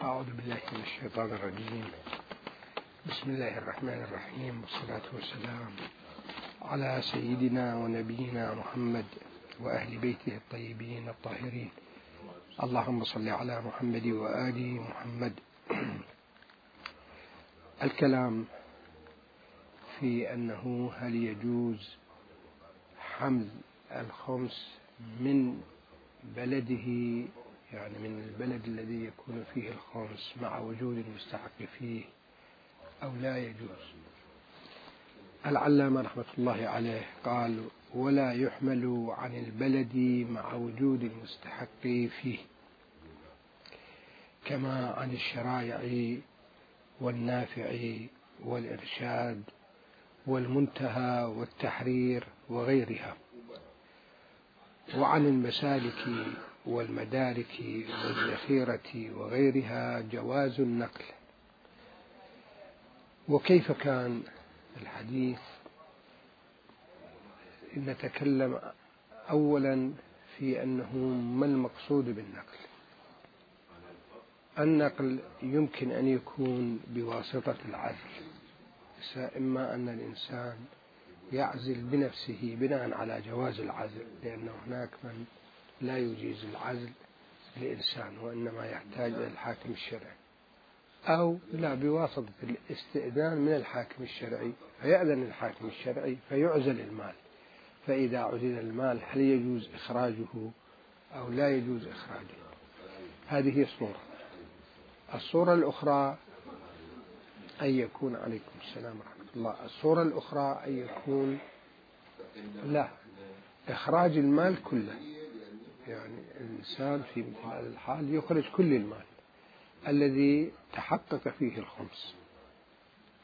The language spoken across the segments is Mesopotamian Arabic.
أعوذ بالله من الشيطان الرجيم. بسم الله الرحمن الرحيم، والصلاة والسلام على سيدنا ونبينا محمد وأهل بيته الطيبين الطاهرين. اللهم صل على محمد وآل محمد. الكلام في أنه هل يجوز حمل الخمس من بلده، يعني من البلد الذي يكون فيه الخمس مع وجود المستحق فيه، أو لا يجوز. العلامة رحمة الله عليه قال: ولا يحمل عن البلد مع وجود المستحق فيه، كما عن الشرائع والنافع والإرشاد والمنتهى والتحرير وغيرها، وعن المسالك والمدارك والذخيرة وغيرها جواز النقل. وكيف كان الحديث؟ نتكلم أولا في أنه ما المقصود بالنقل. النقل يمكن أن يكون بواسطة العزل، إما أن الإنسان يعزل بنفسه بناء على جواز العزل، لأن هناك من لا يجيز العزل لإنسان وإنما يحتاج إلى الحاكم الشرعي، أو لا بواسطة الاستئذان من الحاكم الشرعي، فيأذن الحاكم الشرعي فيعزل المال. فإذا عزل المال هل يجوز إخراجه أو لا يجوز إخراجه؟ هذه صورة. الصورة الأخرى أن يكون، عليكم السلام ورحمة الله، الصورة الأخرى أن يكون لا إخراج المال كله، يعني الإنسان في مثل هذا الحال يخرج كل المال الذي تحقق فيه الخمس،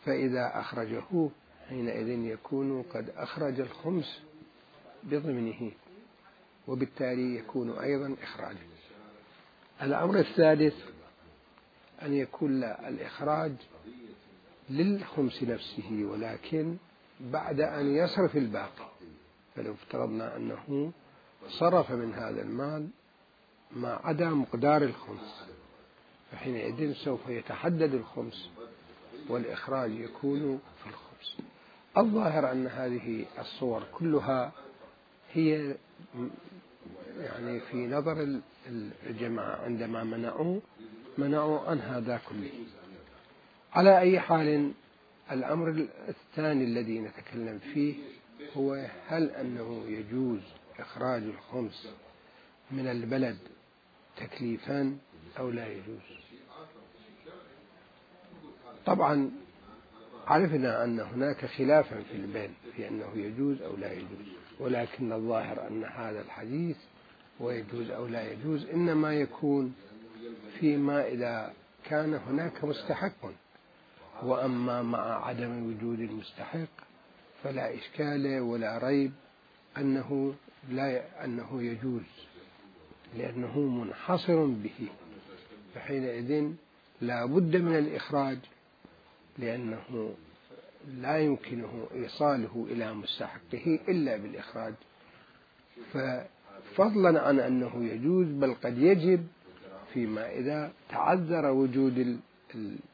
فإذا أخرجه حينئذ يكون قد أخرج الخمس بضمنه، وبالتالي يكون أيضا إخراجه. الأمر الثالث أن يكون الإخراج للخمس نفسه، ولكن بعد أن يصرف الباقي. فلو افترضنا أنه صرف من هذا المال ما عدا مقدار الخمس، فحينئذ سوف يتحدد الخمس والإخراج يكون في الخمس. الظاهر أن هذه الصور كلها هي يعني في نظر الجماعة عندما منعوا عن هذا كله. على أي حال، الأمر الثاني الذي نتكلم فيه هو هل أنه يجوز إخراج الخمس من البلد تكليفا أو لا يجوز. طبعا عرفنا أن هناك خلافا في البين في أنه يجوز أو لا يجوز، ولكن الظاهر أن هذا الحديث ويجوز أو لا يجوز إنما يكون فيما إذا كان هناك مستحق، وأما مع عدم وجود المستحق فلا إشكال ولا ريب أنه يجوز، لأنه منحصر به، فحينئذ لا بد من الإخراج، لأنه لا يمكنه إيصاله إلى مستحقه إلا بالإخراج. ففضلا عن أنه يجوز، بل قد يجب فيما إذا تعذر وجود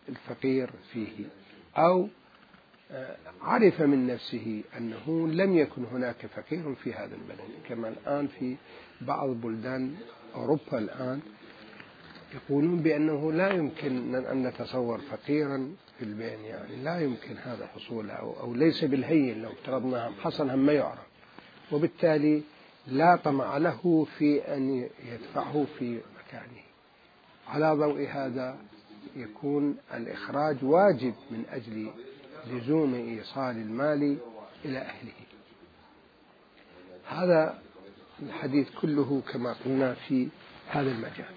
الفقير فيه، أو عرف من نفسه أنه لم يكن هناك فقير في هذا البلد، كما الآن في بعض بلدان أوروبا الآن يقولون بأنه لا يمكن أن نتصور فقيرا في البين، يعني لا يمكن هذا حصوله، أو ليس بالهين لو افترضنا حصل هم ما يعرف، وبالتالي لا طمع له في أن يدفعه في مكانه. على ضوء هذا يكون الإخراج واجب من أجل لزوم إيصال المال إلى أهله. هذا الحديث كله كما قلنا في هذا المجال.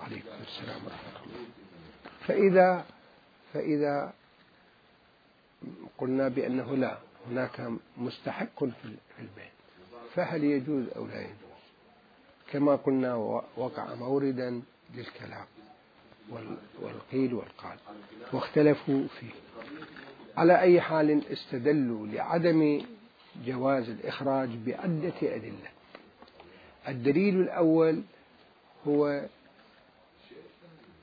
عليكم السلام ورحمة الله. فإذا قلنا بأنه لا هناك مستحق في البيت، فهل يجوز أو لا يجوز؟ كما قلنا وقع موردا للكلام والقيل والقال واختلفوا فيه. على أي حال استدلوا لعدم جواز الإخراج بعدة أدلة. الدليل الأول هو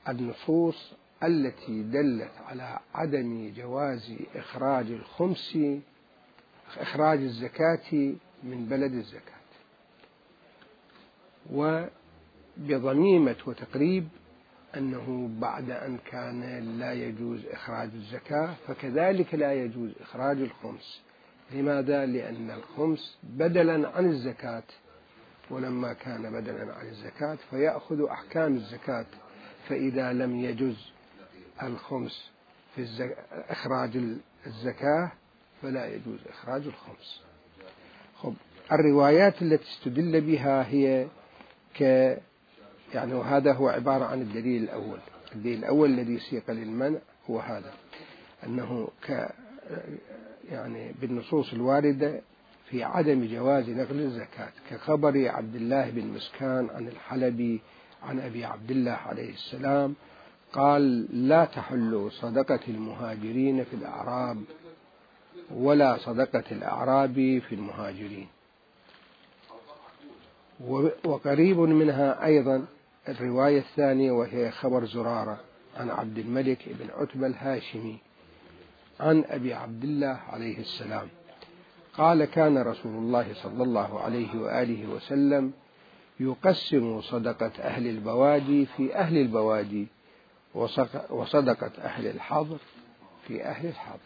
النصوص التي دلت على عدم جواز إخراج الزكاة من بلد الزكاة، وبضميمة وتقريب أنه بعد أن كان لا يجوز إخراج الزكاة فكذلك لا يجوز إخراج الخمس. لماذا؟ لأن الخمس بدلا عن الزكاة، ولما كان بدلا عن الزكاة فيأخذ أحكام الزكاة، فإذا لم يجوز الخمس في إخراج الزكاة فلا يجوز إخراج الخمس. الروايات التي استدل بها هي وهذا هو عبارة عن الدليل الأول. الدليل الأول الذي سيق للمنع هو هذا، أنه بالنصوص الواردة في عدم جواز نقل الزكاة، كخبر عبد الله بن مسكان عن الحلبي عن أبي عبد الله عليه السلام قال: لا تحل صدقة المهاجرين في الأعراب ولا صدقة الأعراب في المهاجرين. وقريب منها أيضا الرواية الثانية، وهي خبر زرارة عن عبد الملك بن عتبة الهاشمي عن أبي عبد الله عليه السلام قال: كان رسول الله صلى الله عليه وآله وسلم يقسم صدقة أهل البوادي في أهل البوادي، وصدقة أهل الحضر في أهل الحضر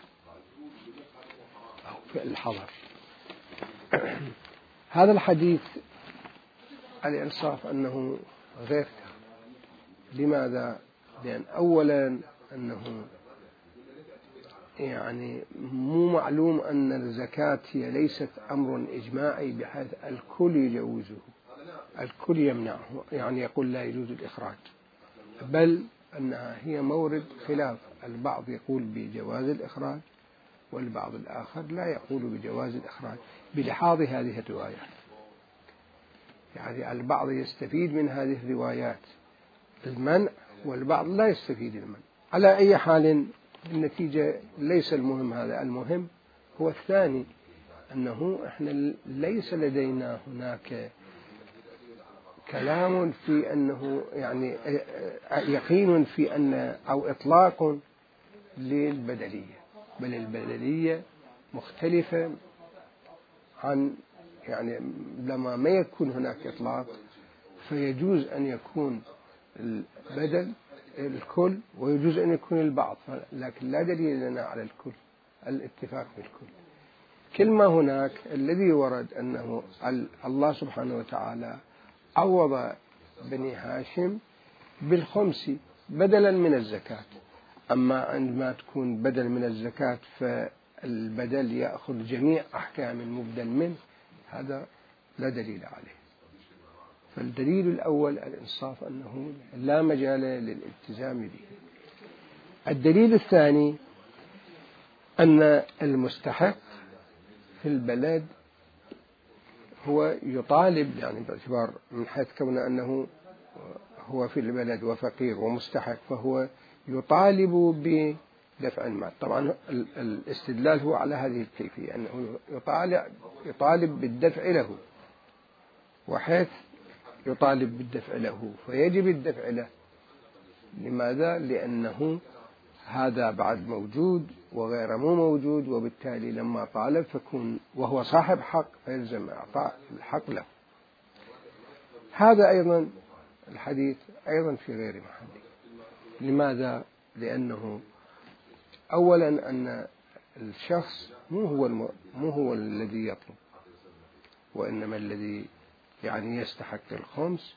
أو في الحضر. هذا الحديث الإنصاف أنه غير تام. لماذا؟ لأن أولا أنه مو معلوم أن الزكاة هي ليست أمر إجماعي بحيث الكل يجوزه، الكل يمنعه، يقول لا يجوز الإخراج، بل أنها هي مورد خلاف. البعض يقول بجواز الإخراج والبعض الآخر لا يقول بجواز الإخراج بلحاظ هذه الروايات. البعض يستفيد من هذه الروايات المنع والبعض لا يستفيد المنع. على أي حال النتيجة ليس المهم هذا، المهم هو الثاني، أنه إحنا ليس لدينا هناك كلام في أنه يقين في أن أو إطلاق للبدلية، بل البدلية مختلفة عن لما ما يكون هناك إطلاق فيجوز أن يكون البدل الكل ويجوز أن يكون البعض، لكن لا دليل لنا على الكل، الاتفاق بالكل. كلمة هناك الذي ورد أنه الله سبحانه وتعالى عوض بني هاشم بالخمس بدلا من الزكاة، أما عندما تكون بدل من الزكاة فالبدل يأخذ جميع أحكام المبدل منه، هذا لا دليل عليه. فالدليل الأول الإنصاف أنه لا مجال للالتزام به. الدليل الثاني أن المستحق في البلد هو يطالب، باعتبار من حيث كون أنه هو في البلد وفقير ومستحق فهو يطالب بدفع المال. طبعا الاستدلال هو على هذه الكيفية، أنه يطالب بالدفع له، وحيث يطالب بالدفع له فيجب الدفع له. لماذا؟ لأنه هذا بعد موجود وغير مو موجود، وبالتالي لما طالب فكون وهو صاحب حق فيلزم إعطاء الحق له. هذا أيضا الحديث أيضا في غير محله. لماذا؟ لأنه أولا أن الشخص مو هو الذي يطلب، وإنما الذي يستحق الخمس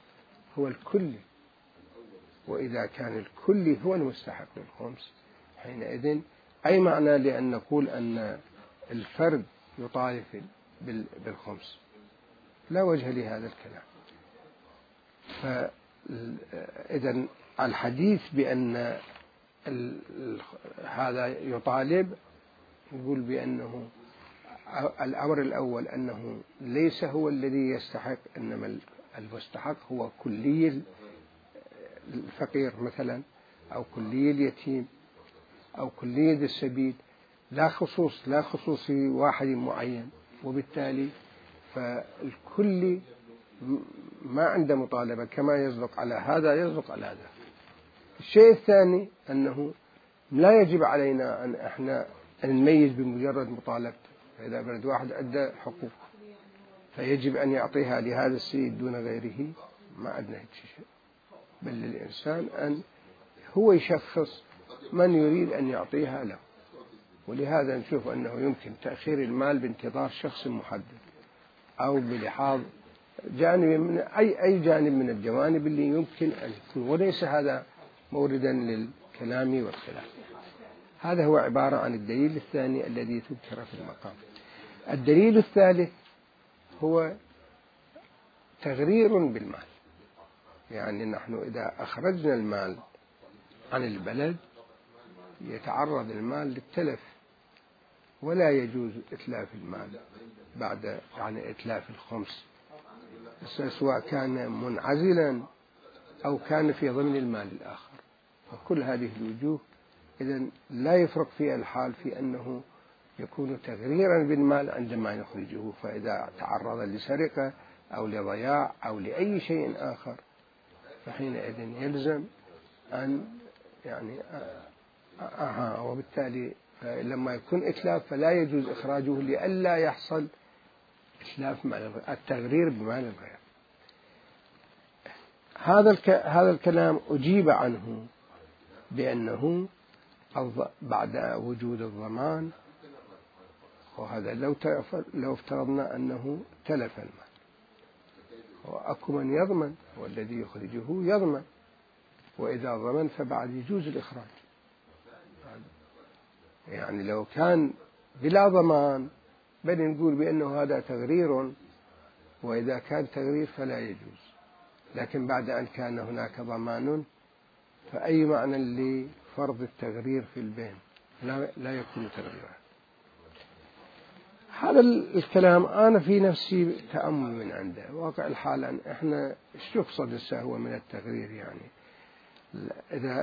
هو الكل، وإذا كان الكل هو المستحق للخمس حينئذ أي معنى لأن نقول أن الفرد يطالب بالخمس؟ لا وجه لهذا الكلام. فإذا الحديث بأن هذا يطالب يقول بأنه الأمر الأول أنه ليس هو الذي يستحق، إنما المستحق هو كلي الفقير مثلا، أو كلي اليتيم، أو كلي السبيل، لا خصوص واحد معين، وبالتالي فالكل ما عنده مطالبة، كما يصدق على هذا يصدق على هذا. الشيء الثاني أنه لا يجب علينا أن احنا نميز بمجرد مطالبته. فإذا بلد واحد عنده حقوق فيجب أن يعطيها لهذا السيد دون غيره، ما عندنا هيك شيء، بل للإنسان أن هو يشخص من يريد أن يعطيها له. ولهذا نشوف أنه يمكن تأخير المال بانتظار شخص محدد أو بلحاظ جانب من أي جانب من الجوانب اللي يمكن أن يكون، وليس هذا موردا للكلام والخلاف. هذا هو عبارة عن الدليل الثاني الذي ذكر في المقام. الدليل الثالث هو تغرير بالمال، يعني نحن إذا أخرجنا المال عن البلد يتعرض المال للتلف، ولا يجوز إتلاف المال بعد يعني إتلاف الخمس، سواء كان منعزلا أو كان في ضمن المال الآخر. وكل هذه الوجوه إذن لا يفرق فيها الحال في أنه يكون تغريرا بالمال عندما يخرجه، فإذا تعرض لسرقة أو لضياع أو لأي شيء آخر فحينئذ يلزم أن يعني وبالتالي لما يكون إتلاف فلا يجوز إخراجه لئلا يحصل إتلاف مال التغرير بمال الغير. هذا الكلام أجيب عنه بأنه بعد وجود الضمان، وهذا لو افترضنا أنه تلف المال وأكو من يضمن والذي يخرجه يضمن، وإذا ضمن فبعد يجوز الإخراج. يعني لو كان بلا ضمان بل نقول بأنه هذا تغرير، وإذا كان تغرير فلا يجوز. لكن بعد أن كان هناك ضمان فأي معنى لفرض التغرير في البين؟ لا يكون تغريرا. هذا الكلام أنا في نفسي تأمل من عنده. واقع الحال أن إحنا إيش يقصد السهو من التغرير؟ يعني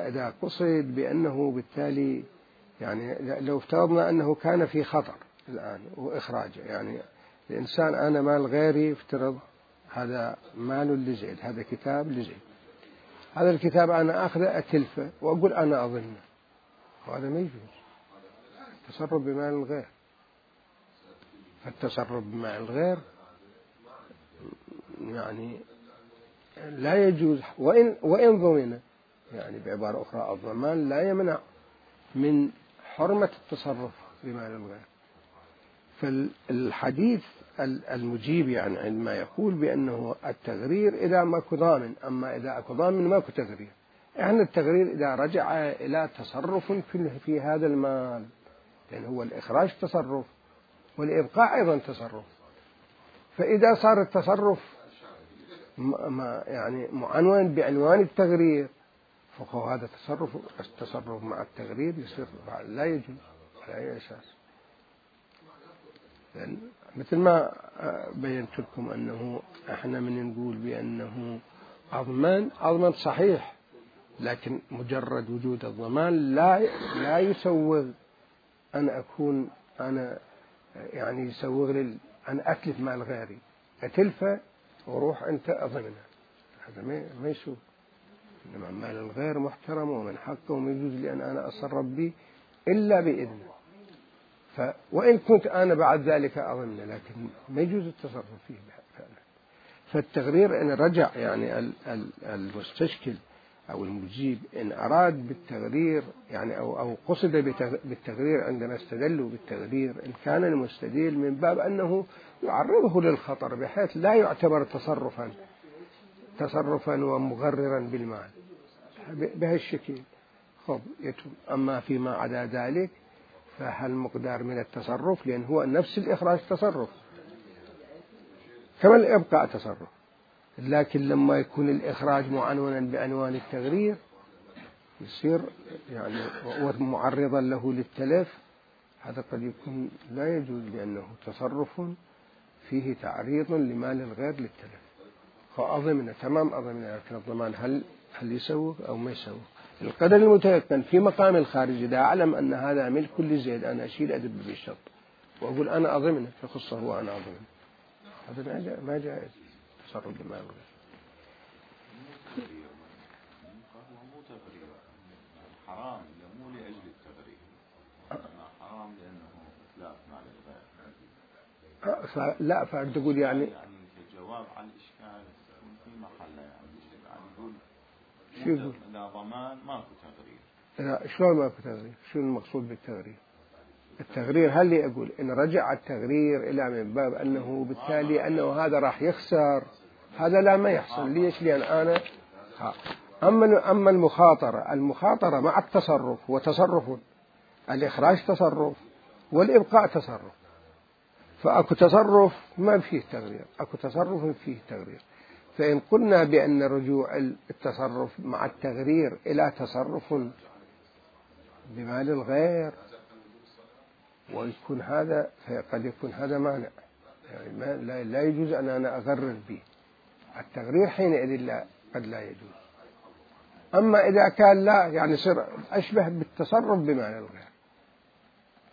إذا قصد بأنه بالتالي يعني لو افترضنا أنه كان في خطر الآن وإخراجه، يعني الإنسان أنا مال غيري افترض هذا مال لزيد، هذا كتاب لزيد، هذا الكتاب أنا أخذه أتلفه وأقول أنا أظنه، وهذا ما يجوز. تصرف بمال الغير، فالتصرف بمال الغير يعني لا يجوز، وإن ضمن، يعني بعبارة أخرى الضمان لا يمنع من حرمة التصرف بمال الغير. فالحديث المجيب يعني عندما يقول بأنه التغرير إذا ماكو ضامن، أما إذا أكو ضامن ماكو تغرير. إحنا التغرير إذا رجع إلى تصرف في هذا المال، لأن هو الإخراج تصرف والإبقاء أيضا تصرف، فإذا صار التصرف يعني معنون بعنوان التغرير فهو هذا التصرف مع التغرير يصير لا يجوز على أي أساس. مثل ما بينت لكم أنه احنا من نقول بأنه أضمن صحيح، لكن مجرد وجود الضمان لا يسوغ أن أكون أنا يعني يسوغ أن أتلف مال غيري، أتلفه وروح أنت أضمنه، هذا ما يسوغ. إنما مال الغير محترم ومن حقه وما يجوز لي أن أنا أتصرف به إلا بإذنه. وإن كنت أنا بعد ذلك أظن، لكن ما يجوز التصرف فيه فعلا. فالتغرير إن رجع يعني المستشكل أو المجيب إن أراد بالتغرير يعني أو قصد بالتغرير عندما استدلوا بالتغرير، إن كان المستدل من باب أنه يعرضه للخطر بحيث لا يعتبر تصرفا ومغررا بالمال بهالشكل خب يتم. أما فيما عدا ذلك فهل مقدار من التصرف، لأن هو نفس الإخراج تصرف كما الإبقاء تصرف، لكن لما يكون الإخراج معنونا بعنوان التغرير يصير يعني معرضا له للتلف، هذا قد يكون لا يجوز لأنه تصرف فيه تعريض لمال الغير للتلف. فأضمن تمام أضمن، لكن الضمان هل يسوق أو ما يسوق؟ القدر المتيقن في مقام الخارج إذا أعلم أن هذا ملك لزيد أنا أشيل أدب بالشط وأقول أنا أضمنه فخصه وأنا أضمنه، هذا ما جائز تصرف بمال الغير. حرام مو لأجل التغريب، إنما حرام لأنه إتلاف مال الغير. لا فأنت تقول يعني كجواب على الإشكال في محله يعني يقول شو يقول؟ لا ضمان ماكو تغرير. لا شلون ماكو تغرير؟ شو المقصود بالتغرير؟ التغرير هل أقول إن رجع التغرير إلى من باب أنه بالتالي أنه هذا راح يخسر، هذا لا ما يحصل. ليش؟ لأن أنا أما المخاطرة مع التصرف وتصرف، الإخراج تصرف والإبقاء تصرف، فأكو تصرف ما فيه تغرير، أكو تصرف فيه تغرير. فإن قلنا بأن رجوع التصرف مع التغرير إلى تصرف بمال الغير ويكون هذا، فقد يكون هذا مانع، يعني لا يجوز أن أنا أغرر به التغرير، حينئذ قد لا يجوز. أما إذا كان لا، يعني صار أشبه بالتصرف بمال الغير،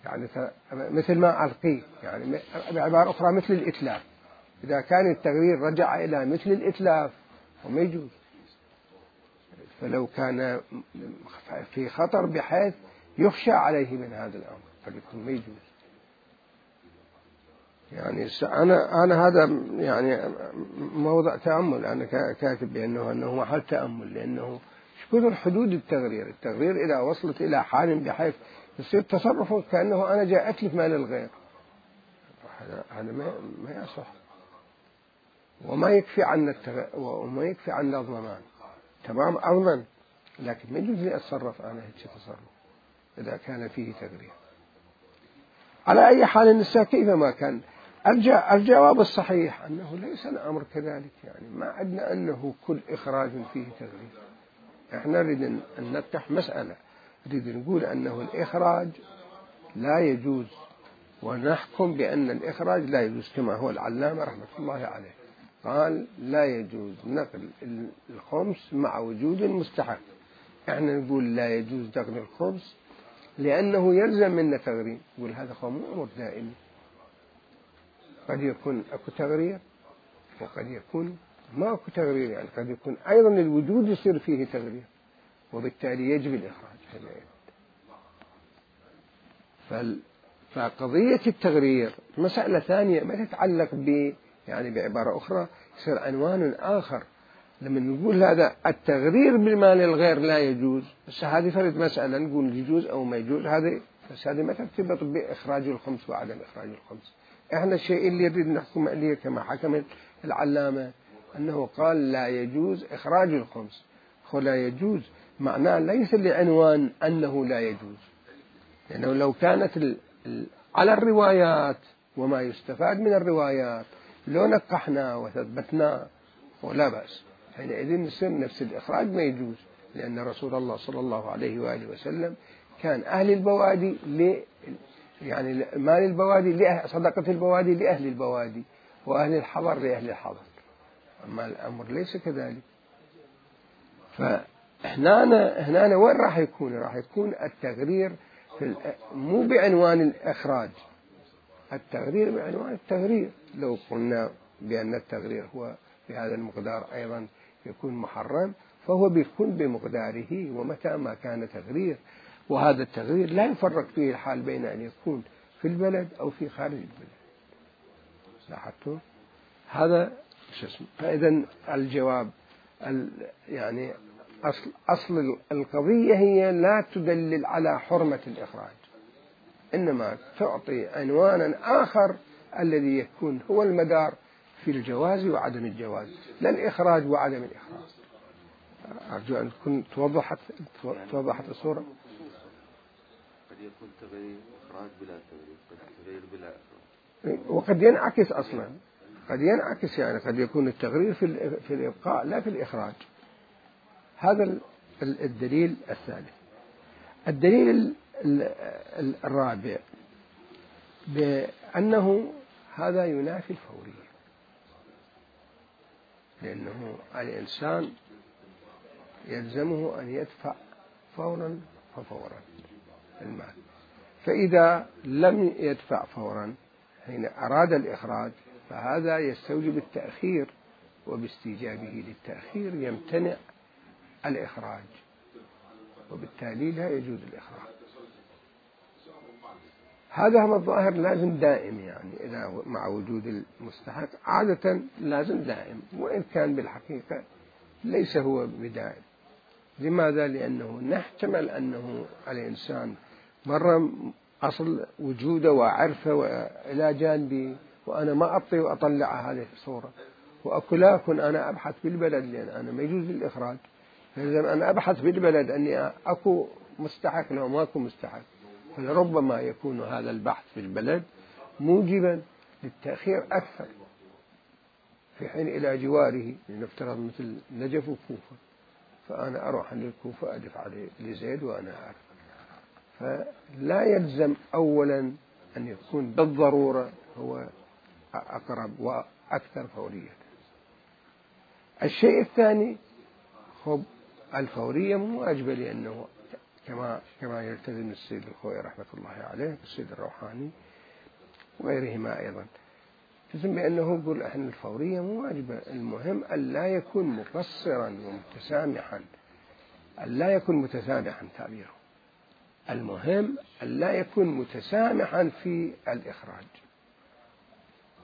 يعني مثل ما ألقيه، يعني بعبارة أخرى مثل الإتلاف. إذا كان التغرير رجع إلى مثل الإتلاف وما يجوز. فلو كان في خطر بحيث يخشى عليه من هذا الأمر قد يكون ما يجوز. يعني أنا هذا يعني موضع تأمل، أنا كاتب بأنه محل تأمل، لأنه شكون حدود التغرير إذا وصلت إلى حال بحيث يصير تصرفه كأنه أنا جاء أتلف مال الغير، هذا ما يصح. وما يكفي عن الضمان، تمام أضمن، لكن ما يجوز لي أتصرف أنا هيك تصرف إذا كان فيه تغرير. على أي حال النساء كيفما كان الجواب الصحيح أنه ليس الأمر كذلك، يعني ما عندنا أنه كل إخراج فيه تغرير. احنا نريد أن نفتح مسألة، نريد نقول أنه الإخراج لا يجوز، ونحكم بأن الإخراج لا يجوز، كما هو العلامة رحمة الله عليه قال لا يجوز نقل الخمس مع وجود المستحق. احنا نقول لا يجوز نقل الخمس لأنه يلزم منا تغرير، يقول هذا هو مو أمر دائم، قد يكون أكو تغرير وقد يكون ما أكو تغرير، يعني قد يكون أيضا الوجود يصير فيه تغرير، وبالتالي يجب الإخراج. فقضية التغرير مسألة ثانية ما تتعلق يعني بعبارة أخرى يصير عنوان آخر. لما نقول هذا التغرير بالمال الغير لا يجوز، بس هذه فرد مسألة نقول يجوز أو ما يجوز، هذه ما ترتبط بإخراج الخمس وعدم إخراج الخمس. إحنا الشيء اللي يريد نحكم عليه كما حكم العلامة أنه قال لا يجوز إخراج الخمس. لا يجوز معناه ليس لعنوان أنه لا يجوز، لأنه لو كانت على الروايات وما يستفاد من الروايات لو نقحنا وثبتنا ولا بأس، حينئذ نصير نفس الإخراج ما يجوز، لأن رسول الله صلى الله عليه وآله وسلم كان أهل البوادي يعني مال البوادي صدقة البوادي لأهل البوادي، وأهل الحضر لأهل الحضر. أما الأمر ليس كذلك. فهنا وين راح يكون التغرير مو بعنوان الإخراج، التغرير بعنوان التغرير. لو قلنا بأن التغرير هو بهذا المقدار أيضا يكون محرم، فهو بيكون بمقداره، ومتى ما كان تغرير، وهذا التغرير لا يفرق فيه الحال بين أن يكون في البلد أو في خارج البلد. لاحظتوا هذا فإذا الجواب يعني أصل القضية هي لا تدلل على حرمة الإخراج، إنما تعطي عنوانا آخر الذي يكون هو المدار في الجواز وعدم الجواز، لا الإخراج وعدم الإخراج. أرجو أن تكون توضحت الصورة. قد يكون تغيير إخراج بلا تغيير، قد تغيير بلا إخراج، وقد ينعكس أصلا، قد ينعكس، يعني قد يكون التغيير في الإبقاء لا في الإخراج. هذا الدليل الثالث. الدليل الرابع بأنه هذا ينافي الفورية، لأنه الإنسان يلزمه أن يدفع فورا ففورا المال، فإذا لم يدفع فورا حين أراد الإخراج فهذا يستوجب التأخير، وباستيجابه للتأخير يمتنع الإخراج. وبالتالي لا يجوز الإخراج. هذا هو الظاهر لازم دائم، يعني إذا مع وجود المستحق عادة لازم دائم، وإن كان بالحقيقة ليس هو بدائم. لماذا؟ لأنه نحتمل أنه الإنسان مرة أصل وجوده وعرفه وإلى جانبي وأنا ما أعطي وأطلع هذه الصورة، وأكلا أكون أنا أبحث بالبلد لأن أنا ما يجوز الإخراج، فلازم أنا أبحث بالبلد أني أكو مستحق لو ما أكو مستحق، فلربما يكون هذا البحث في البلد موجبا للتأخير أكثر، في حين إلى جواره لنفترض مثل نجف وكوفة، فأنا أروح عند الكوفة أدفع لزيد وأنا أعرف. فلا يلزم أولا أن يكون بالضرورة هو أقرب وأكثر فورية. الشيء الثاني الفورية مو واجبة، لأنه كما يلتزم السيد الخوئي رحمة الله عليه والسيد الروحاني وغيرهما أيضا، يلتزم بأنه يقول إحنا الفورية مو واجبة، المهم أن لا يكون مقصرا ومتسامحا، أن لا يكون متسامحا تعبيره، المهم أن لا يكون متسامحا في الإخراج،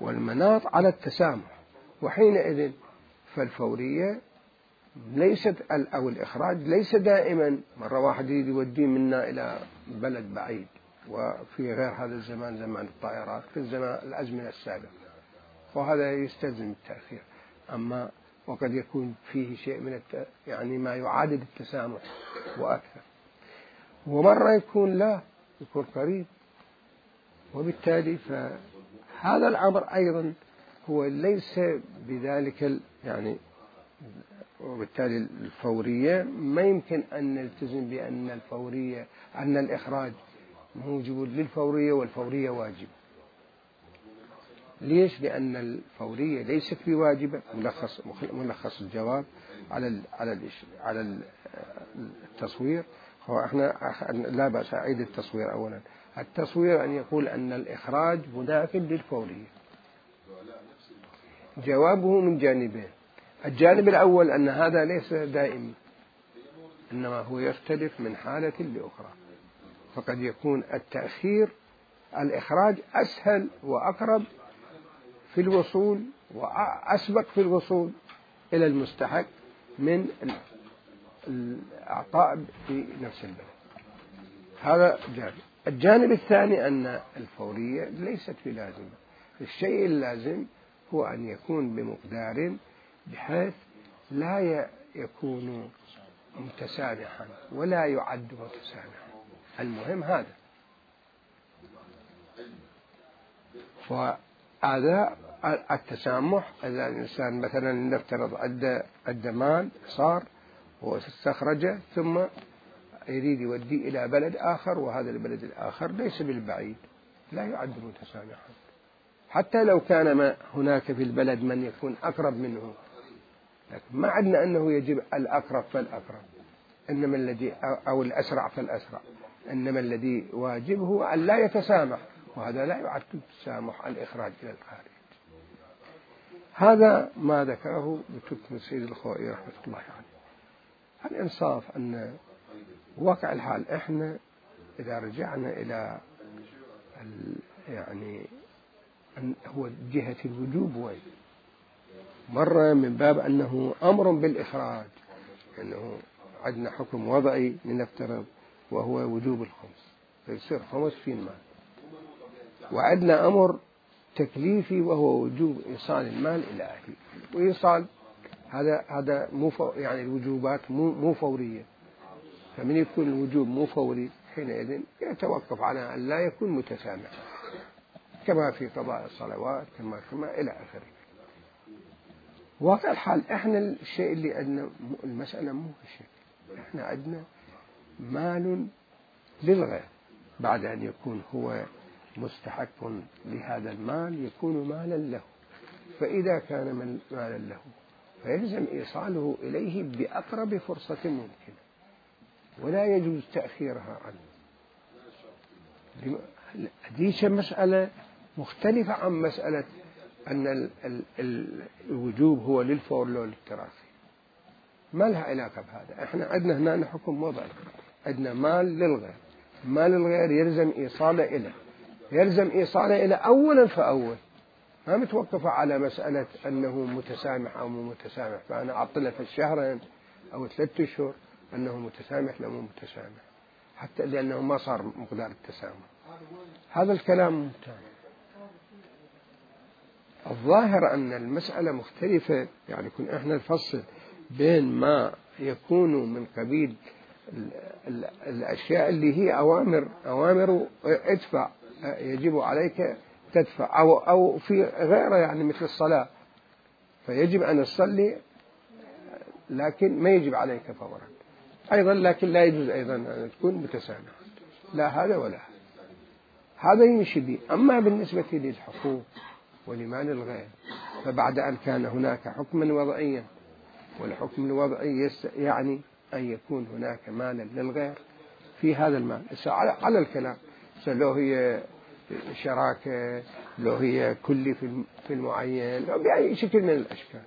والمناط على التسامح. وحينئذ فالفورية ليست أو الإخراج ليس دائما مرة واحد يوديه منا إلى بلد بعيد، وفي غير هذا الزمان زمان الطائرات في الزمان الأزمنة السابقة، وهذا يستلزم التأخير. أما وقد يكون فيه شيء من يعني ما يعادل التسامح وأكثر، ومرة يكون لا يكون قريب، وبالتالي فهذا الأمر أيضا هو ليس بذلك يعني، وبالتالي الفورية ما يمكن أن نلتزم بأن الفورية أن الإخراج موجب للفورية والفورية واجب. ليش؟ لأن الفورية ليست بواجبة. ملخص الجواب على التصوير هو احنا لا بأس أعيد التصوير. أولا التصوير أن يقول أن الإخراج مداخل للفورية. جوابه من جانبين: الجانب الأول أن هذا ليس دائم، إنما هو يختلف من حالة لأخرى، فقد يكون التأخير الإخراج أسهل وأقرب في الوصول وأسبق في الوصول إلى المستحق من الإعطاء في نفس البلد. هذا جانب. الجانب الثاني أن الفورية ليست بلازمة. الشيء اللازم هو أن يكون بمقدار بحيث لا يكون متسامحا ولا يعد متسامحا. المهم هذا. فهذا التسامح إذا الإنسان مثلا نفترض أدى مال صار واستخرجه ثم يريد يوديه إلى بلد آخر، وهذا البلد الآخر ليس بالبعيد، لا يعد متسامحا حتى لو كان هناك في البلد من يكون أقرب منه، لكن ما عدنا أنه يجب الأقرب فالأقرب، إنما الذي أو الأسرع فالأسرع، إنما الذي واجب هو أن لا يتسامح، وهذا لا يعد تسامح الإخراج إلى الخارج. هذا ما ذكره بتركم السيد الخوئي رحمة الله عليه. الإنصاف أن واقع الحال إحنا إذا رجعنا إلى يعني هو جهة الوجوب وين مرة من باب أنه أمر بالإخراج، أنه عندنا حكم وضعي لنفترض وهو وجوب الخمس فيصير 50 مال، وعندنا أمر تكليفي وهو وجوب إيصال المال إلى أهله، وإيصال هذا مو يعني الوجوبات مو فورية، فمن يكون الوجوب مو فوري حينئذ يتوقف على أن لا يكون متسامحا كما في قضاء الصلوات كما إلى آخره. واقع الحال إحنا الشيء اللي عندنا المسألة مو هالشيء، إحنا عندنا مال للغير بعد أن يكون هو مستحق لهذا المال يكون مالا له، فإذا كان مالا له فيلزم إيصاله إليه بأقرب فرصة ممكنة، ولا يجوز تأخيرها عنه. هذه مسألة مختلفة عن مسألة أن الوجوب هو للفور لو للتراخي، ما لها علاقة بهذا. إحنا عندنا هنا حكم وضعي، عندنا مال للغير، مال الغير يلزم إيصاله إلى أولا فأول، ما متوقفة على مسألة أنه متسامح أو مو متسامح، فأنا أعطله في الشهرين أو 3 أشهر أنه متسامح لا مو متسامح، حتى لأنه ما صار مقدار التسامح. هذا الكلام ممتاز. الظاهر أن المسألة مختلفة، يعني كنا إحنا نفصل بين ما يكون من قبيل الأشياء اللي هي أوامر ادفع يجب عليك تدفع، أو في غيره يعني مثل الصلاة فيجب أن تصلي لكن ما يجب عليك فورا أيضا، لكن لا يجوز أيضا أن تكون متسامح، لا هذا ولا هذا يمشي به. أما بالنسبة للحقوق ولمال الغير فبعد أن كان هناك حكما وضعيا، والحكم الوضعي يعني أن يكون هناك مالا للغير في هذا المال على الكلام، لو هي شراكة، لو هي كلي في المعين، لو بأي شكل من الأشكال،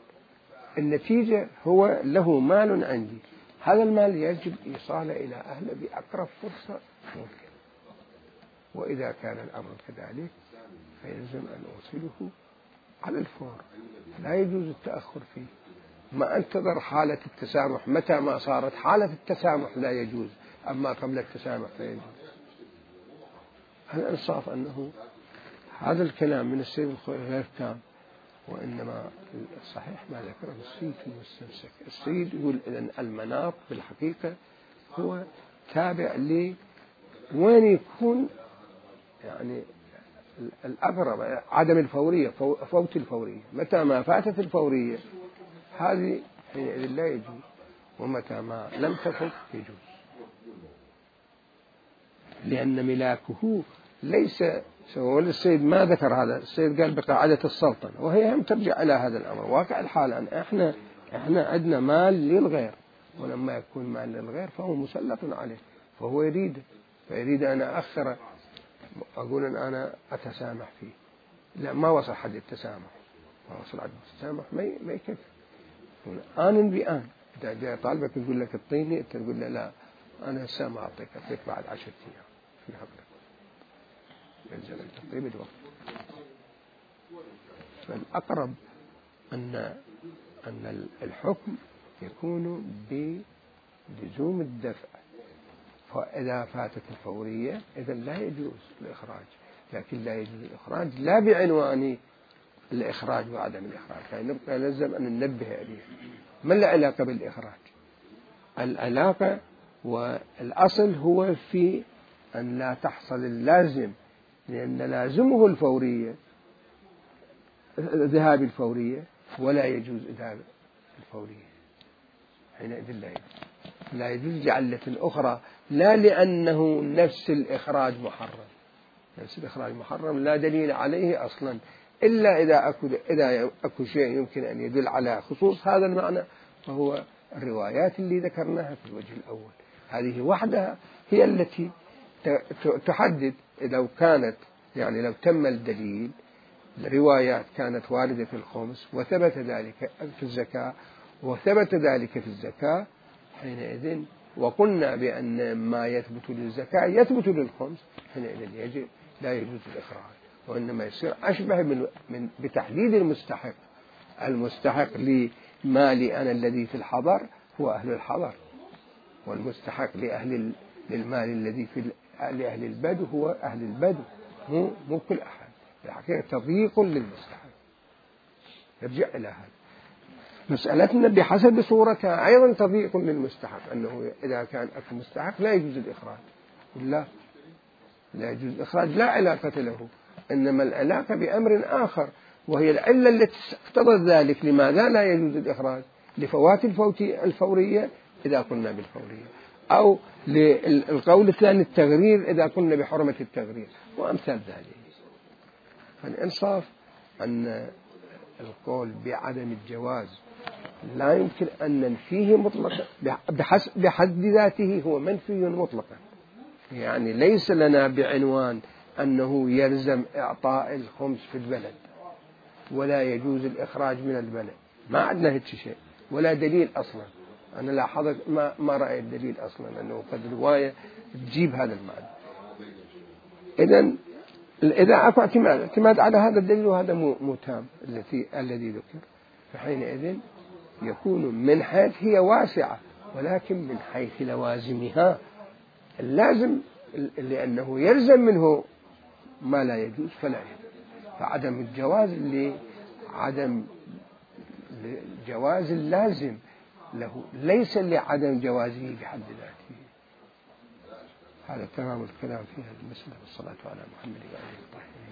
النتيجة هو له مال عندي، هذا المال يجب إيصاله إلى أهله بأقرب فرصة ممكن، وإذا كان الأمر كذلك فيلزم أن أوصله على الفور، لا يجوز التأخر فيه، ما أنتظر حالة التسامح، متى ما صارت حالة التسامح لا يجوز، أما قبل التسامح فيجوز. الإنصاف أنه هذا الكلام من السيد الخوئي غير تام، وإنما الصحيح ما ذكره السيد في المستمسك. السيد يقول إذن المناط بالحقيقة هو تابع وين يكون يعني الأقرب، عدم الفورية، فوت الفورية، متى ما فاتت الفورية هذه حينئذ لا يجوز، ومتى ما لم تفت يجوز، لأن ملاكه ليس سواء. السيد ما ذكر هذا، السيد قال بقاعدة السلطنة، وهي هم ترجع إلى هذا الأمر. واقع الحال أن إحنا عندنا مال للغير، ولما يكون مال للغير فهو مسلط عليه، فهو فيريد أن أخر، أقول أن أنا أتسامح فيه، لا ما وصل حد التسامح، ما وصل حد التسامح ما يكفي، آن بآن. إذا جاء طالبك يقول لك اعطيني، أنت تقول له لا أنا هسه ما أعطيك بعد 10 أيام في حقك، يلزم أن تعطيه بالوقت. فالأقرب أن الحكم يكون بلزوم الدفع، فإذا فاتت الفورية إذا لا يجوز الإخراج، لكن لا يجوز الإخراج لا بعنوان الإخراج وعدم الإخراج، يعني نبقى لازم أن ننبه عليه. ما العلاقة بالإخراج؟ العلاقة والأصل هو في أن لا تحصل اللازم، لأن لازمه الفورية، ذهاب الفورية، ولا يجوز ذهاب الفورية، حينئذ لا يجوز لعلة أخرى، لا لأنه نفس الإخراج محرم. نفس الإخراج محرم لا دليل عليه أصلا، إلا إذا أكو شيء يمكن أن يدل على خصوص هذا المعنى، فهو الروايات اللي ذكرناها في الوجه الأول، هذه وحدها هي التي تحدد. لو كانت يعني لو تم الدليل، الروايات كانت واردة في الخمس وثبت ذلك في الزكاة وثبت ذلك في الزكاة، حينئذ وقلنا بأن ما يثبت للزكاة يثبت للخمس، حينئذ لا يجوز الإخراج، وإنما يصير أشبه من بتحديد المستحق لمالي أنا الذي في الحضر هو أهل الحضر، والمستحق للمال الذي لأهل البدو هو أهل البدو، مو كل أحد. الحقيقة تضييق للمستحق، يرجع إلى هذا. مسألتنا بحسب صورتها أيضا تضييق للمستحق، أنه إذا كان أكو مستحق لا يجوز الإخراج، لا يجوز الإخراج، لا علاقة له، إنما العلاقة بأمر آخر، وهي العلة التي اقتضت ذلك. لماذا لا يجوز الإخراج؟ لفوات الفورية إذا قلنا بالفورية، أو للقول الثاني التغرير إذا قلنا بحرمة التغرير، وأمثال ذلك. فالإنصاف أن القول بعدم الجواز لا يمكن أن ننفيه مطلقا، بحد ذاته هو منفي مطلقا، يعني ليس لنا بعنوان أنه يلزم إعطاء الخمس في البلد ولا يجوز الإخراج من البلد، ما عندنا هيك شيء ولا دليل أصلا، أنا لاحظت ما رأيت دليل أصلا أنه قد رواية تجيب هذا المعنى. إذا أكو اعتماد على هذا الدليل وهذا مو تام الذي ذكر، فحينئذ يكون من حيث هي واسعة، ولكن من حيث لوازمها اللازم، لأنه يلزم منه ما لا يجوز فلا يجوز. فعدم الجواز عدم جواز اللازم له، ليس لعدم جوازه بحد ذاته. هذا تمام الكلام في هذه المسألة. والصلاة على محمد وعلى آله الطاهرين.